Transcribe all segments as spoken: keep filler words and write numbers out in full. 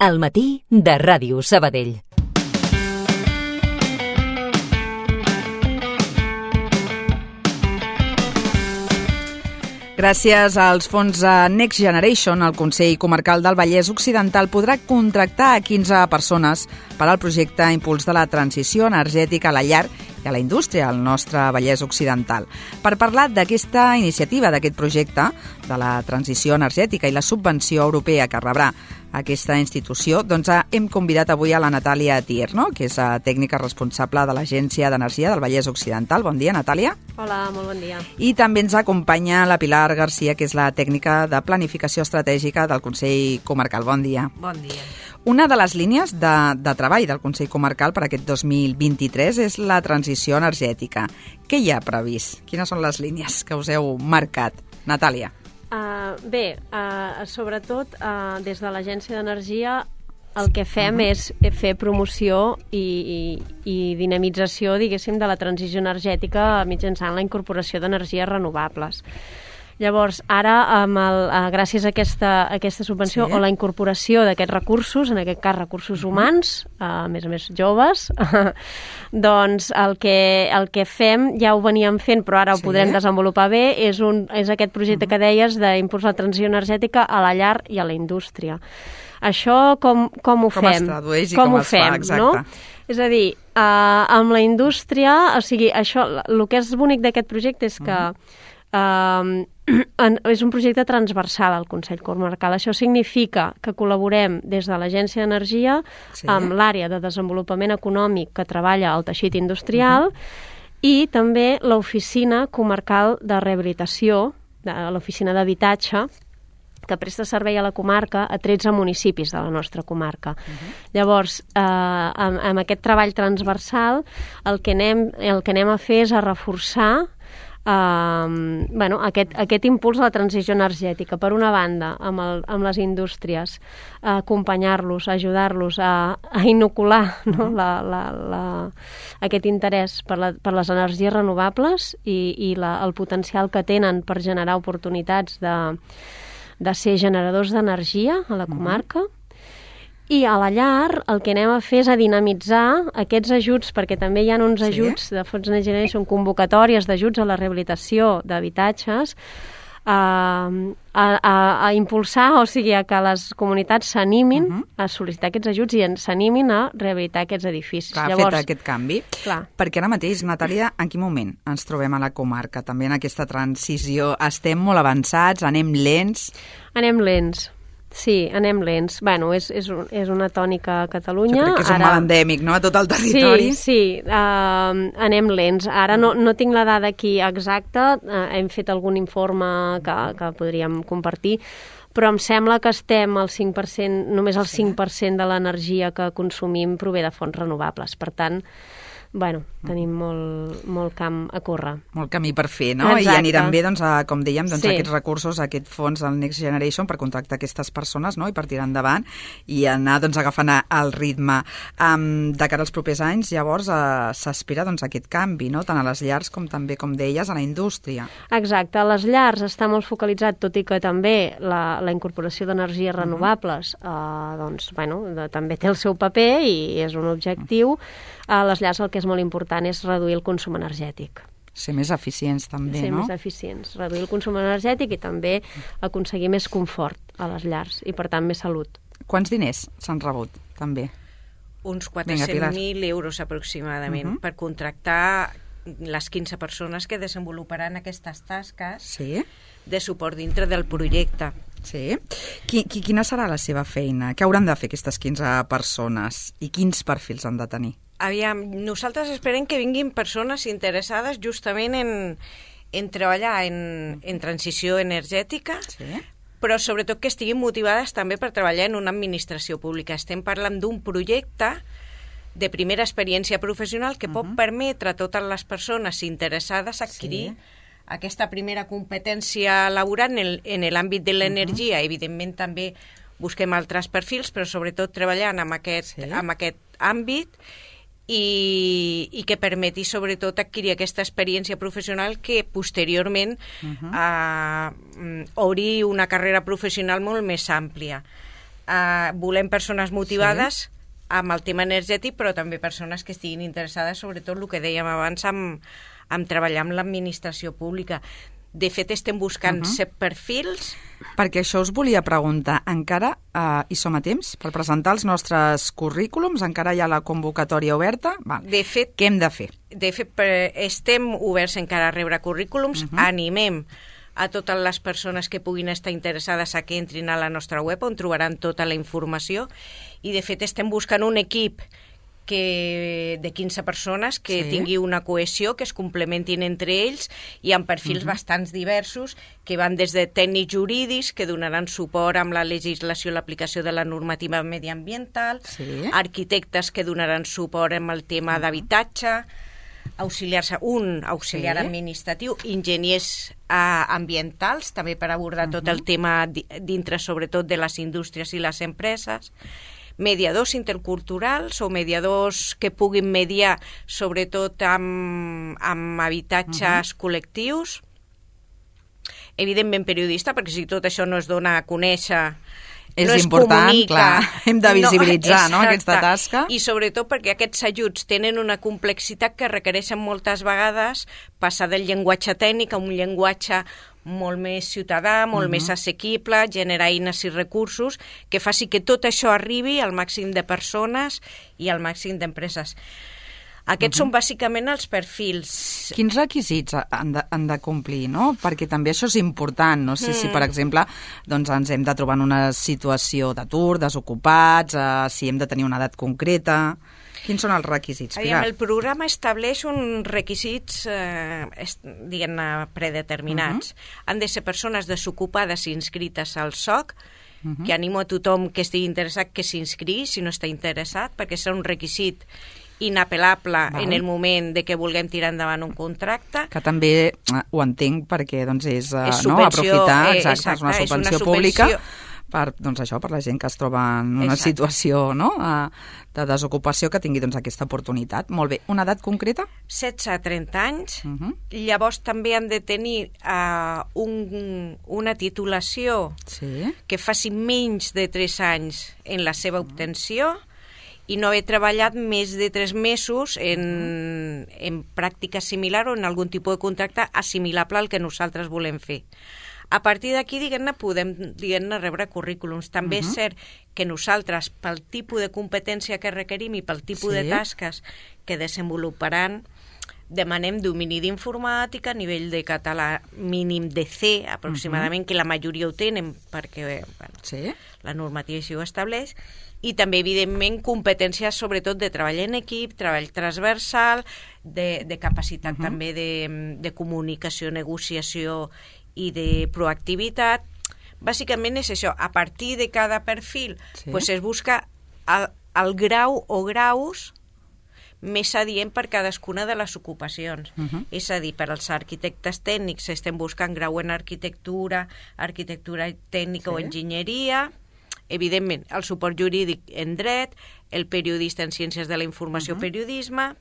Al matí de Ràdio Sabadell. Gràcies als fons Next Generation, el Consell Comarcal del Vallès Occidental podrà contractar a quinze persones per al projecte Impuls de la Transició Energètica a la Llar i a la Indústria al nostre Vallès Occidental. Per parlar d'aquesta iniciativa, d'aquest projecte, de la transició energètica i la subvenció europea que rebrà aquesta institució, doncs hem convidat avui a la Natàlia Tierno, que és tècnica responsable de l'Agència d'Energia del Vallès Occidental. Bon dia, Natàlia. Hola, molt bon dia. I també ens acompanya la Pilar Garcia, que és la tècnica de planificació estratègica del Consell Comarcal. Bon dia. Bon dia. Una de les línies de, de treball del Consell Comarcal per aquest dos mil vint-i-tres és la transició energètica. Què hi ha previst? Quines són les línies que us heu marcat? Natàlia. Uh, bé, uh, sobretot uh, des de l'Agència d'Energia el que fem uh-huh. és fer promoció i, i, i dinamització, diguéssim, de la transició energètica mitjançant la incorporació d'energies renovables. Llavors, ara, amb el, uh, gràcies a aquesta, a aquesta subvenció sí. o la incorporació d'aquests recursos, en aquest cas recursos humans, uh, a més a més joves, doncs el que, el que fem, ja ho veníem fent, però ara ho sí. podrem desenvolupar bé, és, un, és aquest projecte uh-huh. que deies d'impuls a la transició energètica a la llar i a la indústria. Això com, com ho com fem? Com es tradueix i com, com ho es fem, fa, exacte. No? És a dir, uh, amb la indústria, o sigui, això, el que és bonic d'aquest projecte és que uh-huh. Uh, en, és un projecte transversal al Consell Comarcal. Això significa que col·laborem des de l'Agència d'Energia sí. amb l'àrea de desenvolupament econòmic que treballa al teixit industrial uh-huh. i també l'Oficina Comarcal de Rehabilitació, de, l'Oficina d'Habitatge, que presta servei a la comarca a tretze municipis de la nostra comarca. Uh-huh. Llavors, eh, amb, amb aquest treball transversal, el que anem, el que anem a fer és a reforçar Uh, bueno, aquest, aquest impuls a la transició energètica. Per una banda, amb, el, amb les indústries, uh, acompanyar-los, ajudar-los a, a inocular no? la, la, la, aquest interès per, la, per les energies renovables i, i la, el potencial que tenen per generar oportunitats de, de ser generadors d'energia a la comarca. Uh-huh. I a la llar el que anem a fer és a dinamitzar aquests ajuts, perquè també hi ha uns sí. ajuts de fons Next Generation, convocatòries d'ajuts a la rehabilitació d'habitatges, a, a, a, a impulsar, o sigui, a que les comunitats s'animin uh-huh. a sol·licitar aquests ajuts i s'animin a rehabilitar aquests edificis. Clar, Llavors, fet aquest canvi. Clar. Perquè ara mateix, Natàlia, en quin moment ens trobem a la comarca? També en aquesta transició estem molt avançats, anem lents? Anem lents. Sí, anem lents. Bueno, és, és, un, és una tònica a Catalunya. Jo crec que és un Ara... mal endèmic, no?, a tot el territori. Sí, sí, uh, anem lents. Ara no, no tinc la dada aquí exacta, uh, hem fet algun informe que, que podríem compartir, però em sembla que estem al cinc per cent, només el cinc per cent de l'energia que consumim prové de fonts renovables. Per tant, bueno, tenim molt, molt camp a córrer. Molt camí per fer, no? Exacte. I aniran bé, doncs, a, com dèiem, doncs, sí. aquests recursos, aquest fons del Next Generation per contractar aquestes persones, no?, i per tirar endavant i anar, doncs, agafant el ritme. Um, de cara als propers anys, llavors, uh, s'aspira, doncs, aquest canvi, no?, tant a les llars com també, com deies, a la indústria. Exacte. A les llars està molt focalitzat, tot i que també la, la incorporació d'energies renovables, uh-huh. uh, doncs, bueno, de, també té el seu paper i és un objectiu. Uh-huh. A les llars el que és molt important és reduir el consum energètic. Ser més eficients també, Ser no? Ser més eficients, reduir el consum energètic i també aconseguir més confort a les llars i, per tant, més salut. Quants diners s'han rebut, també? Uns quatre-cents mil euros aproximadament uh-huh. per contractar les quinze persones que desenvoluparan aquestes tasques sí. de suport dintre del projecte. Sí. Qui, qui, quina serà la seva feina? Què hauran de fer aquestes quinze persones i quins perfils han de tenir? Aviam, nosaltres esperem que vinguin persones interessades justament en, en treballar en, en transició energètica, sí. però sobretot que estiguin motivades també per treballar en una administració pública. Estem parlant d'un projecte de primera experiència professional que uh-huh. pot permetre a totes les persones interessades adquirir sí. aquesta primera competència laboral en, en l'àmbit de l'energia. Uh-huh. Evidentment també busquem altres perfils, però sobretot treballant en aquest, sí. en aquest àmbit i, i que permeti sobretot adquirir aquesta experiència professional que posteriorment uh-huh. eh, obri una carrera professional molt més àmplia. Uh, volem persones motivades sí. amb el tema energètic, però també persones que estiguin interessades, sobretot el que dèiem abans, amb, amb treballar amb l'administració pública. De fet, estem buscant uh -huh. set perfils. Perquè això us volia preguntar, encara eh, hi som a temps per presentar els nostres currículums? Encara hi ha la convocatòria oberta? Val. De fet, què hem de fer? De fet, estem oberts encara a rebre currículums, uh -huh. animem a totes les persones que puguin estar interessades a que entrin a la nostra web, on trobaran tota la informació, i de fet estem buscant un equip que de quinze persones que sí. tingui una cohesió, que es complementin entre ells i amb perfils uh -huh. bastants diversos, que van des de tècnics jurídics que donaran suport amb la legislació i l'aplicació de la normativa mediambiental, sí. arquitectes que donaran suport amb el tema uh -huh. d'habitatge, auxiliars, un auxiliar sí. administratiu, enginyers uh, ambientals, també per abordar uh -huh. tot el tema dintre, sobretot, de les indústries i les empreses, mediadors interculturals o mediadors que puguin mediar sobretot amb, amb habitatges uh -huh. col·lectius, evidentment periodista, perquè si tot això no es dona a conèixer, és no es important, comunica, clar, hem de visibilitzar no, no, aquesta tasca. I sobretot perquè aquests ajuts tenen una complexitat que requereixen moltes vegades passar del llenguatge tècnic a un llenguatge molt més ciutadà, molt uh-huh. més assequible, generar eines i recursos que faci que tot això arribi al màxim de persones i al màxim d'empreses. Aquests uh-huh. són bàsicament els perfils. Quins requisits han de, han de complir, no? Perquè també això és important. No sé mm. si, per exemple, doncs ens hem de trobar en una situació d'atur, desocupats, eh, si hem de tenir una edat concreta. Quins són els requisits, Pilar? El programa estableix uns requisits, eh, diguem-ne, predeterminats. Uh-huh. Han de ser persones desocupades i inscrites al S O C, uh-huh. que animo a tothom que estigui interessat que s'inscrigui, si no està interessat, perquè serà un requisit inapel·lable Val. En el moment de que vulguem tirar endavant un contracte. Que també ho entenc perquè doncs, és, és no, aprofitar, eh, exacte, exacte, és una subvenció, és una subvenció pública per, doncs, això, per la gent que es troba en una exacte. situació no, de desocupació, que tingui doncs, aquesta oportunitat. Molt bé. Una edat concreta? setze a trenta anys. Uh-huh. Llavors també han de tenir uh, un, una titulació sí. que faci menys de tres anys en la seva obtenció i no haver treballat més de tres mesos en, en pràctica similar o en algun tipus de contracte assimilable al que nosaltres volem fer. A partir d'aquí, diguem-ne, podem diguem-ne, rebre currículums. També uh-huh. és cert que nosaltres, pel tipus de competència que requerim i pel tipus sí. de tasques que desenvoluparan, demanem domini d'informàtica, nivell de català mínim de C, aproximadament, uh-huh. que la majoria ho tenen, perquè bueno, sí. la normativa així ho estableix, i també, evidentment, competències sobretot de treball en equip, treball transversal, de, de capacitat uh-huh. també de, de comunicació, negociació i de proactivitat. Bàsicament és això. A partir de cada perfil sí. pues es busca el, el grau o graus més adient per cadascuna de les ocupacions. Uh-huh. És a dir, per als arquitectes tècnics estem buscant grau en arquitectura, arquitectura tècnica sí. o enginyeria, evidentment el suport jurídic en dret, el periodista en ciències de la informació uh-huh. periodisme,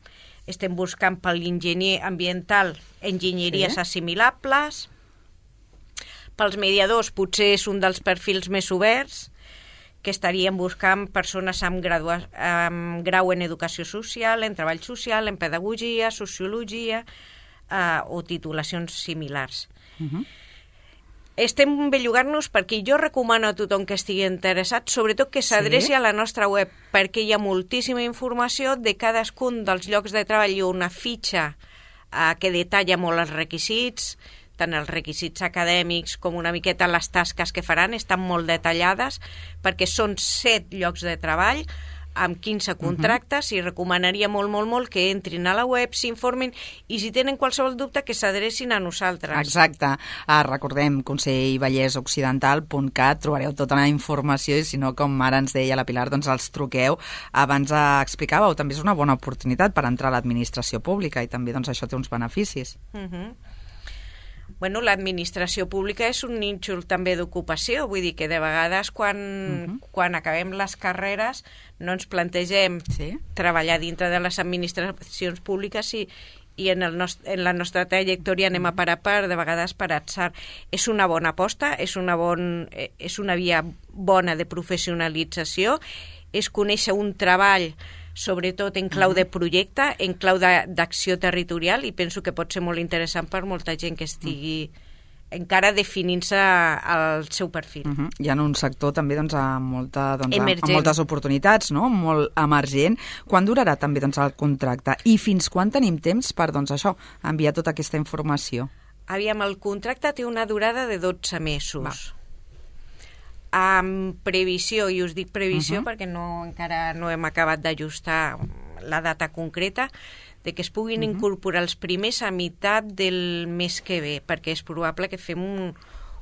estem buscant per l'enginyer ambiental enginyeries sí. assimilables, pels mediadors potser és un dels perfils més oberts, que estaríem buscant persones amb, gradua, amb grau en educació social, en treball social, en pedagogia, sociologia eh, o titulacions similars. Uh-huh. Estem bellugant-nos perquè jo recomano a tothom que estigui interessat, sobretot que s'adreci sí. a la nostra web, perquè hi ha moltíssima informació de cadascun dels llocs de treball i una fitxa eh, que detalla molt els requisits, tant els requisits acadèmics com una miqueta les tasques que faran, estan molt detallades, perquè són set llocs de treball amb quinze contractes uh-huh. i recomanaria molt, molt, molt que entrin a la web, s'informin i si tenen qualsevol dubte que s'adrecin a nosaltres. Exacte. Ah, recordem, consell vallès occidental punt cat, trobareu tota la informació i si no, com ara ens deia la Pilar, doncs els truqueu. Abans eh, explicàveu, també és una bona oportunitat per entrar a l'administració pública i també doncs, això té uns beneficis. Uh-huh. Bueno, l'administració pública és un nínxol també d'ocupació, vull dir que de vegades quan, uh-huh. quan acabem les carreres no ens plantegem sí. treballar dintre de les administracions públiques i, i en, el nost en la nostra trajectòria anem a par a par, de vegades per atzar. És una bona aposta, és una, bon, és una via bona de professionalització, és conèixer un treball, sobretot en clau de projecte, en clau d'acció territorial, i penso que pot ser molt interessant per molta gent que estigui encara definint-se el seu perfil. Uh -huh. Hi ha un sector també doncs, amb, molta, doncs, amb, amb moltes oportunitats, no? Molt emergent. Quan durarà també doncs, el contracte? I fins quan tenim temps per doncs, això enviar tota aquesta informació? Aviam, el contracte té una durada de dotze mesos. Va. Amb previsió, i us dic previsió uh -huh. perquè no, encara no hem acabat d'ajustar la data concreta, de que es puguin uh-huh. incorporar els primers a meitat del mes que ve, perquè és probable que fem un,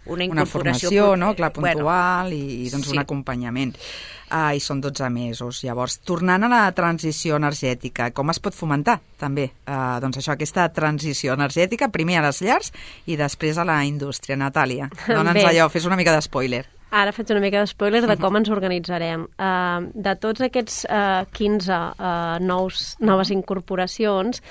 una incorporació... Una formació, no? Clar, puntual, bueno, i doncs, sí. un acompanyament. Uh, I són dotze mesos. Llavors, tornant a la transició energètica, com es pot fomentar, també, uh, doncs això, aquesta transició energètica, primer a les llars i després a la indústria? Natàlia, dona'ns allò, fes una mica d'espoiler. Ara faig una mica d'espoiler de com ens organitzarem. Uh, de tots aquests uh, quinze uh, nous, noves incorporacions,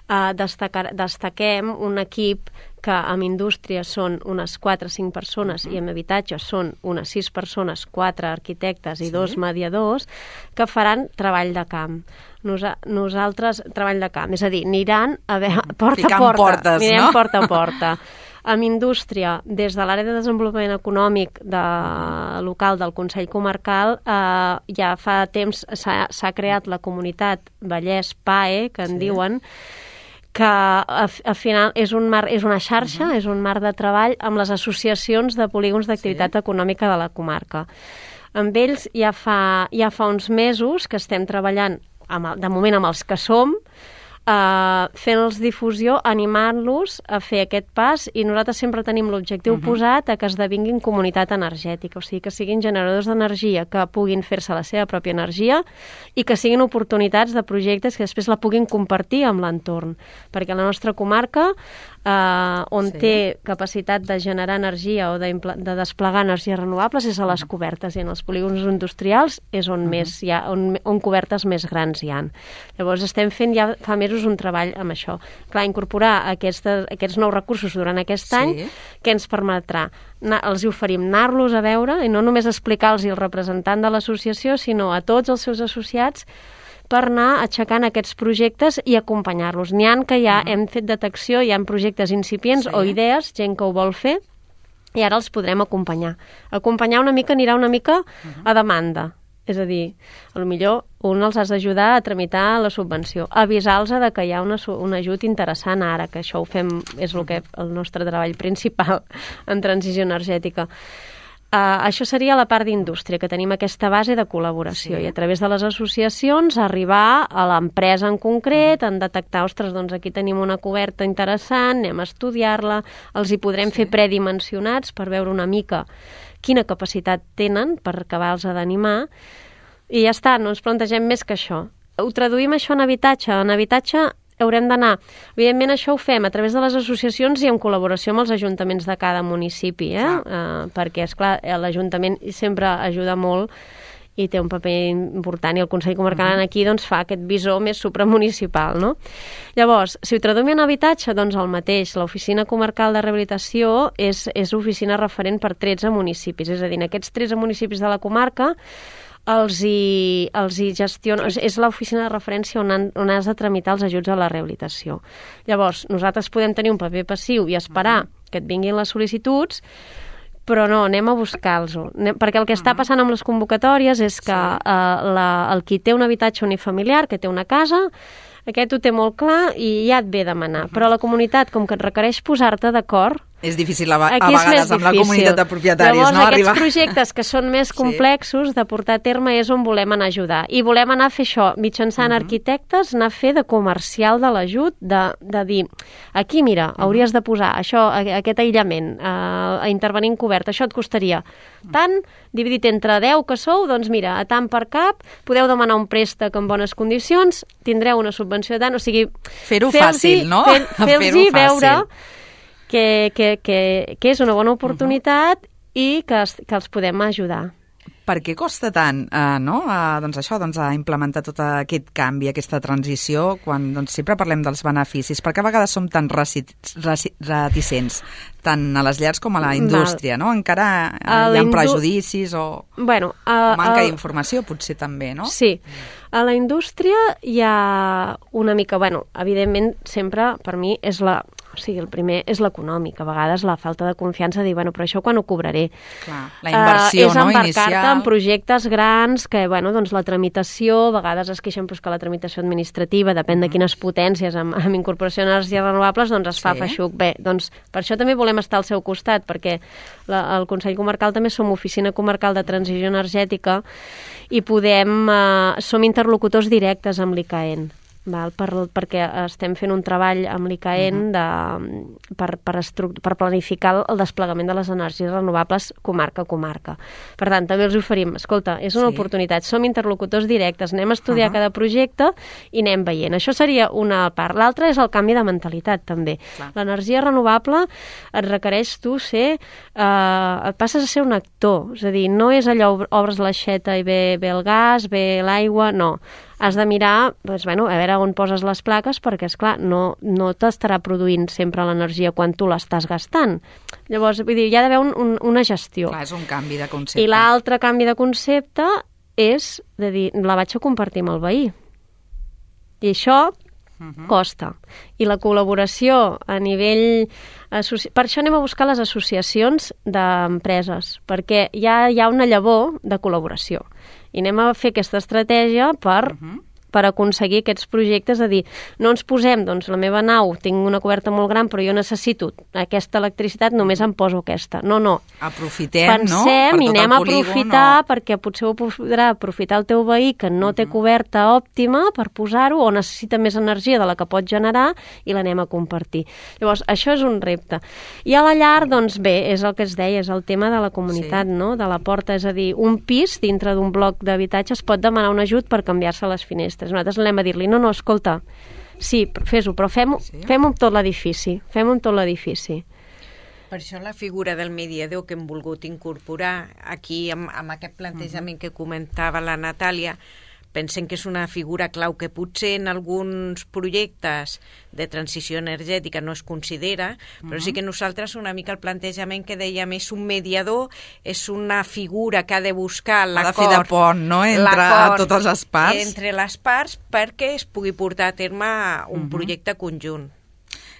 uh, destacar, destaquem un equip que en indústria són unes quatre o cinc persones uh-huh. i en habitatge són unes sis persones, quatre arquitectes i sí. dos mediadors, que faran treball de camp. Nosa nosaltres, treball de camp, és a dir, aniran a veure, porta Ficant a porta, portes, anirem no? porta a porta. Amb indústria, des de l'àrea de desenvolupament econòmic de, local del Consell Comarcal, eh, ja fa temps s'ha creat la comunitat Vallès P A E, que en sí. diuen, que al final és, un mar, és una xarxa, uh-huh. és un marc de treball amb les associacions de polígons d'activitat sí. econòmica de la comarca. Amb ells ja fa, ja fa uns mesos que estem treballant, amb, de moment amb els que som, Uh, fent-los difusió, animant-los a fer aquest pas, i nosaltres sempre tenim l'objectiu uh -huh. posat a que esdevinguin comunitat energètica, o sigui, que siguin generadors d'energia, que puguin fer-se la seva pròpia energia i que siguin oportunitats de projectes que després la puguin compartir amb l'entorn, perquè la nostra comarca, uh, on sí. té capacitat de generar energia o de, de desplegar energies renovables, és a les cobertes, i en els polígons industrials és on, uh -huh. més hi ha, on, on cobertes més grans hi ha. Llavors estem fent ja fa mesos un treball amb això. Clar, incorporar aquestes, aquests nous recursos durant aquest sí. any, que ens permetrà, els oferim anar-los a veure, i no només explicar-los el representant de l'associació, sinó a tots els seus associats, per anar aixecant aquests projectes i acompanyar-los. N'hi ha que ja uh -huh. hem fet detecció, hi ha projectes incipients sí. o idees, gent que ho vol fer, i ara els podrem acompanyar. Acompanyar una mica anirà una mica uh -huh. a demanda. És a dir, potser un els has d'ajudar a tramitar la subvenció, avisar-los de que hi ha una, un ajut interessant ara, que això ho fem, és el, que, el nostre treball principal en transició energètica. Uh, això seria la part d'indústria, que tenim aquesta base de col·laboració, sí. i a través de les associacions arribar a l'empresa en concret, en detectar, ostres, doncs aquí tenim una coberta interessant, anem a estudiar-la, els hi podrem sí. fer predimensionats per veure una mica quina capacitat tenen per acabar-los d'animar, i ja està, no ens plantegem més que això. Ho traduïm això en habitatge. En habitatge haurem d'anar. Evidentment, això ho fem a través de les associacions i en col·laboració amb els ajuntaments de cada municipi, eh? Uh, perquè, esclar, l'Ajuntament sempre ajuda molt i té un paper important, i el Consell Comarcal uh-huh. aquí doncs, fa aquest visor més supramunicipal, no? Llavors, si ho traduïm en habitatge, doncs el mateix. L'Oficina Comarcal de Rehabilitació és, és oficina referent per tretze municipis, és a dir, en aquests tretze municipis de la comarca els hi, els hi gestiona, és l'oficina de referència on, han, on has de tramitar els ajuts a la rehabilitació. Llavors, nosaltres podem tenir un paper passiu i esperar uh-huh. que et vinguin les sol·licituds, però no, anem a buscar-los. Perquè el que està passant amb les convocatòries és que sí. eh, la, el qui té un habitatge unifamiliar, que té una casa, aquest ho té molt clar i ja et ve a demanar. Però la comunitat, com que et requereix posar-te d'acord, és difícil a, a vegades amb la comunitat de propietaris. Llavors, no? aquests Arribar... projectes que són més complexos sí. de portar a terme és on volem anar a ajudar. I volem anar a fer això, mitjançant uh -huh. arquitectes, anar a fer de comercial de l'ajut, de, de dir, aquí, mira, uh -huh. hauries de posar això, aquest aïllament, a, a intervenir en cobert, això et costaria tant, dividit entre deu que sou, doncs mira, a tant per cap, podeu demanar un préstec en bones condicions, tindreu una subvenció de tant, o sigui... Fer-ho fàcil, no? Fer, Fer-los veure... Que, que, que, que és una bona oportunitat uh-huh. i que, es, que els podem ajudar. Per què costa tant eh, no? eh, doncs això, doncs, a implementar tot aquest canvi, aquesta transició, quan doncs, sempre parlem dels beneficis? Per què a vegades som tan reci- reci- reticents, tant a les llars com a la indústria? No? Encara eh, hi ha indu... prejudicis o, bueno, a, o manca a... d'informació, potser també, no? Sí. A la indústria hi ha una mica... Bueno, evidentment, sempre, per mi, és la... O sigui, el primer és l'econòmic. A vegades la falta de confiança de dir, bueno, però això quan ho cobraré? Clar, la inversió, uh, no, inicial. És embarcar-te en projectes grans que, bueno, doncs la tramitació, a vegades es queixen pues, que la tramitació administrativa, depèn de quines potències, amb, amb incorporació d'energies renovables, doncs es fa sí. feixuc. Bé, doncs per això també volem estar al seu costat, perquè la, el Consell Comarcal també som oficina comarcal de transició energètica i podem, uh, som interlocutors directes amb l'I C A E N. Val, per, perquè estem fent un treball amb l'I C A E N de, per, per, per planificar el desplegament de les energies renovables comarca a comarca. Per tant, també els oferim, escolta, és una sí. oportunitat, som interlocutors directes, anem a estudiar uh -huh. cada projecte i anem veient. Això seria una part. L'altra és el canvi de mentalitat, també. L'energia renovable et requereix tu ser... Eh, et passes a ser un actor, és a dir, no és allò, obres l'aixeta i ve, ve el gas, ve l'aigua, no. Has de mirar, doncs, bueno, a veure on poses les plaques, perquè, esclar, no, no t'estarà produint sempre l'energia quan tu l'estàs gastant. Llavors, vull dir, hi ha d'haver un, un, una gestió. Clar, és un canvi de concepte. I l'altre canvi de concepte és de dir, la vaig a compartir amb el veí. I això uh-huh. costa. I la col·laboració a nivell... Associ... Per això anem a buscar les associacions d'empreses, perquè ja hi ha una llavor de col·laboració. I anem a fer aquesta estratègia per, uh-huh. per aconseguir aquests projectes, a dir, no ens posem, doncs la meva nau, tinc una coberta molt gran, però jo necessito aquesta electricitat, només em poso aquesta. No, no. Aprofitem, Pensem, no? Per i tot anem el a polígon, aprofitar, o... perquè potser ho podrà aprofitar el teu veí que no té coberta òptima per posar-ho, o necessita més energia de la que pot generar, i l'anem a compartir. Llavors, això és un repte. I a la llar, doncs bé, és el que es deia, és el tema de la comunitat, sí. no? De la porta, és a dir, un pis dintre d'un bloc d'habitatge es pot demanar un ajut per canviar-se les finestres. Nosaltres anem a dir-li, no, no, escolta, sí, fes-ho, però fem-ho sí. fem amb tot l'edifici, fem-ho amb tot l'edifici. Per això la figura del mediador que hem volgut incorporar aquí amb, amb aquest plantejament uh-huh. que comentava la Natàlia, pensem que és una figura clau que potser en alguns projectes de transició energètica no es considera, uh-huh. però sí que nosaltres una mica el plantejament que dèiem és un mediador, és una figura que ha de buscar l'acord... Ha de fer de pont, no?, entre totes les parts. Entre les parts perquè es pugui portar a terme un uh-huh. projecte conjunt.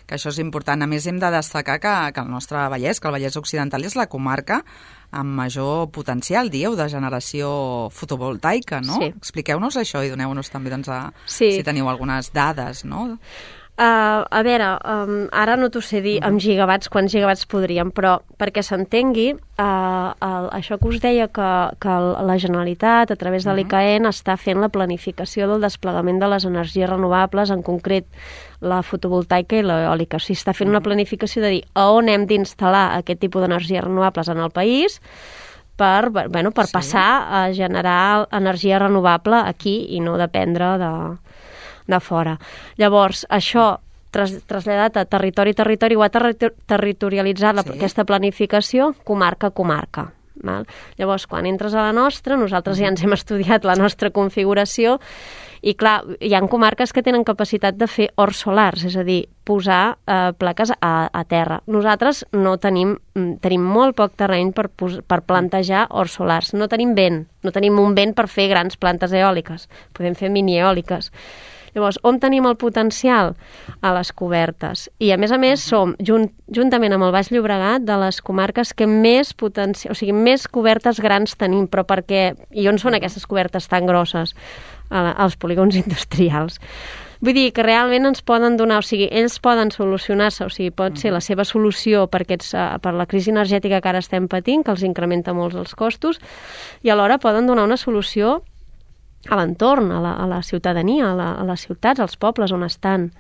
Que això és important. A més, hem de destacar que, que el nostre Vallès, que el Vallès Occidental és la comarca amb major potencial, dieu, de generació fotovoltaica, no? Sí. Expliqueu-nos això i doneu-nos també, doncs, a, sí. si teniu algunes dades, no? Uh, a veure, um, ara no t'ho sé dir amb gigawatts, quants gigawatts podríem, però perquè s'entengui, uh, el, això que us deia que, que la Generalitat, a través de l'I C A E N, està fent la planificació del desplegament de les energies renovables, en concret la fotovoltaica i l'eòlica. O sigui, està fent una planificació de dir a on hem d'instal·lar aquest tipus d'energies renovables en el país per, bueno, per sí. passar a generar energia renovable aquí i no dependre de... de fora. Llavors, això tras, traslladat a territori-territori ho ha terri- territorialitzat sí. aquesta planificació comarca a comarca. Val? Llavors, quan entres a la nostra, nosaltres ja ens hem estudiat la nostra configuració i, clar, hi ha comarques que tenen capacitat de fer horts solars, és a dir, posar eh, plaques a, a terra. Nosaltres no tenim, tenim molt poc terreny per, per plantejar horts solars. No tenim vent, no tenim un vent per fer grans plantes eòliques. Podem fer mini-eòliques. Llavors, on tenim el potencial? A les cobertes. I, a més a més, som, junt, juntament amb el Baix Llobregat, de les comarques que més potencial, o sigui, més cobertes grans tenim, però perquè... I on són aquestes cobertes tan grosses? Als polígons industrials. Vull dir que realment ens poden donar, o sigui, ells poden solucionar-se, o sigui, pot ser la seva solució per, aquests, per la crisi energètica que ara estem patint, que els incrementa molts els costos, i alhora poden donar una solució a l'entorn, a, la, a la ciutadania, a, la, a les ciutats, als pobles on estan.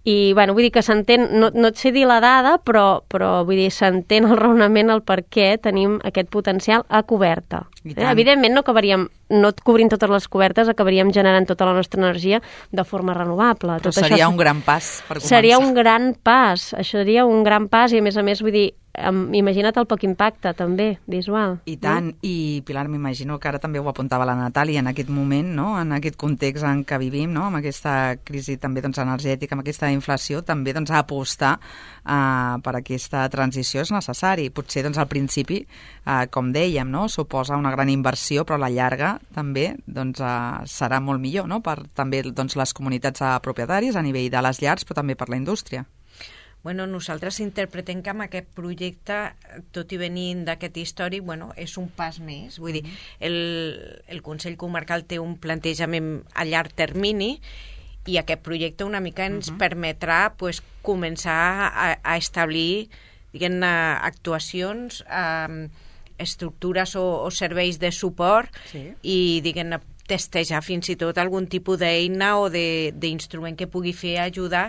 I, bueno, vull dir que s'entén, no, no et sé dir la dada, però, però vull dir, s'entén el raonament, el per què tenim aquest potencial a coberta. Eh? Evidentment no acabaríem no et cobrint totes les cobertes, acabaríem generant tota la nostra energia de forma renovable. Però Tot seria això un gran pas per començar. Seria un gran pas, això seria un gran pas i a més a més, vull dir, imagina't el poc impacte també, visual. I tant, no? I Pilar, m'imagino que ara també ho apuntava la Natàlia en aquest moment, no? En aquest context en què vivim, no? Amb aquesta crisi també doncs, energètica, amb aquesta inflació, també doncs, apostar uh, per aquesta transició és necessari. Potser doncs, al principi, uh, com dèiem, no? Suposa una gran inversió, però a la llarga també doncs, uh, serà molt millor, no? Per també doncs, les comunitats uh, propietaris a nivell de les llars, però també per la indústria. Bueno, nosaltres interpretem que amb aquest projecte, tot i venint d'aquest històric, bueno, és un pas més. Vull dir, el, el Consell Comarcal té un plantejament a llarg termini i aquest projecte una mica ens uh-huh. permetrà pues, començar a, a establir diguem-ne, actuacions, eh, estructures o, o serveis de suport sí. i diguem-ne, testejar fins i tot algun tipus d'eina o d'instrument que pugui fer ajudar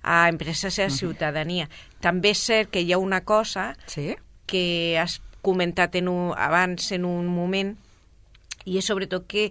a empreses i a ciutadania. Uh-huh. També és cert que hi ha una cosa sí? que has comentat en un, abans en un moment i és sobretot que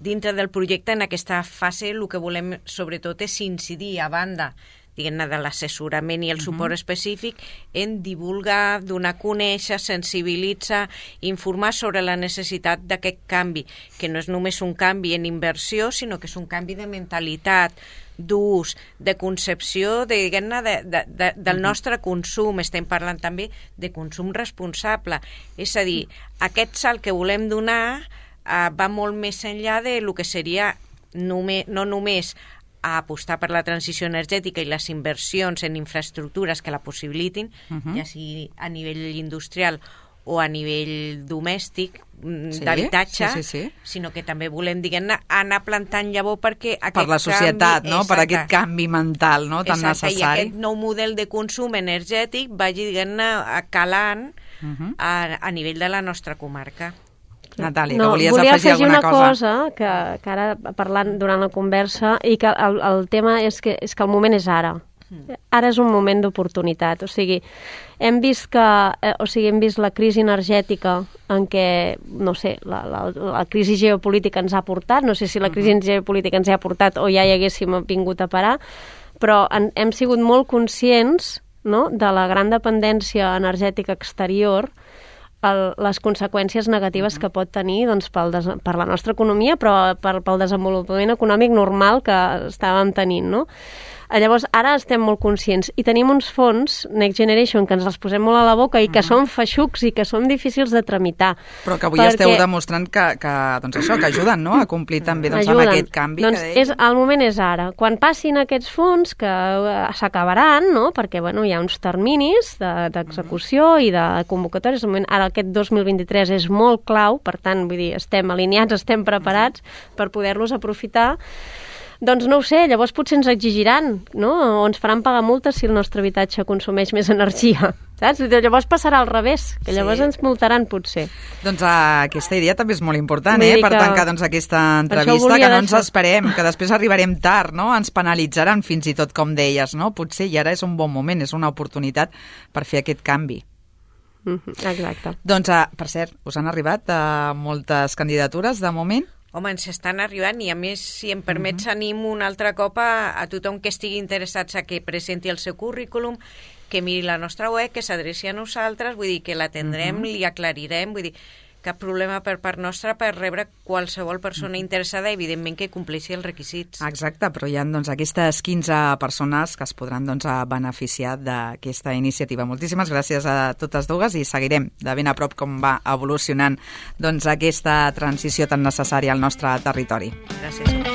dintre del projecte en aquesta fase el que volem sobretot és incidir a banda diguem-ne, de l'assessorament i el suport uh-huh. específic en divulgar, donar a conèixer, sensibilitzar, informar sobre la necessitat d'aquest canvi, que no és només un canvi en inversió, sinó que és un canvi de mentalitat, d'ús, de concepció de, diguem-ne, de, de, de, del nostre consum. Estem parlant també de consum responsable. És a dir, aquest salt que volem donar eh, va molt més enllà de lo que seria només, no només a apostar per la transició energètica i les inversions en infraestructures que la possibilitin, uh-huh. ja sigui a nivell industrial o a nivell domèstic, sí, d'habitatge, sí, sí, sí. sinó que també volem, diguem-ne, anar plantant llavor perquè aquest per la societat, canvi, no? Per aquest canvi mental, no? Tan exacte, necessari. I aquest nou model de consum energètic vagi, diguem-ne, calant uh-huh. a, a nivell de la nostra comarca. Natàlia, no, que volies volia afegir alguna una cosa? cosa que, que ara parlant durant la conversa i que el, el tema és que, és que el moment és ara. Ara és un moment d'oportunitat, o sigui, hem vist que, eh, o sigui, hem vist la crisi energètica en què, no sé, la, la, la crisi geopolítica ens ha portat, no sé si la crisi uh-huh. geopolítica ens ha portat o ja hi haguéssim vingut a parar, però en, hem sigut molt conscients, no?, de la gran dependència energètica exterior, el, les conseqüències negatives uh-huh. que pot tenir doncs, pel des, per la nostra economia, però per, pel desenvolupament econòmic normal que estàvem tenint, no? Llavors, ara estem molt conscients i tenim uns fons, Next Generation, que ens els posem molt a la boca i que uh-huh. són feixucs i que són difícils de tramitar. Però que avui perquè... esteu demostrant que, que, doncs això, que ajuden, no?, a complir també doncs, amb aquest canvi. Doncs que deia. És, el moment és ara. Quan passin aquests fons, que s'acabaran, no?, perquè bueno, hi ha uns terminis d'execució de, uh-huh. i de convocatòries, ara aquest dos mil vint-i-tres és molt clau, per tant, vull dir, estem alineats, estem preparats uh-huh. per poder-los aprofitar. Doncs no ho sé, llavors potser ens exigiran, no? O ens faran pagar multes si el nostre habitatge consumeix més energia, saps? Llavors passarà al revés, que llavors sí. ens multaran potser. Doncs uh, aquesta idea també és molt important, eh? Per que... tancar doncs, aquesta entrevista, que no ens deixar. esperem, que després arribarem tard, no? Ens penalitzaran fins i tot, com deies, no? Potser i ara és un bon moment, és una oportunitat per fer aquest canvi. Mm-hmm, exacte. Doncs, uh, per cert, us han arribat uh, moltes candidatures de moment? Home, ens estan arribant i, a més, si em permets, uh-huh. anim un altre cop a, a tothom que estigui interessat a que presenti el seu currículum, que miri la nostra web, que s'adreci a nosaltres, vull dir que l'atendrem, uh-huh. li aclarirem, vull dir, cap problema per part nostra per rebre qualsevol persona interessada, evidentment que compleixi els requisits. Exacte, però hi ha doncs, aquestes quinze persones que es podran doncs, beneficiar d'aquesta iniciativa. Moltíssimes gràcies a totes dues i seguirem de ben a prop com va evolucionant doncs, aquesta transició tan necessària al nostre territori. Gràcies.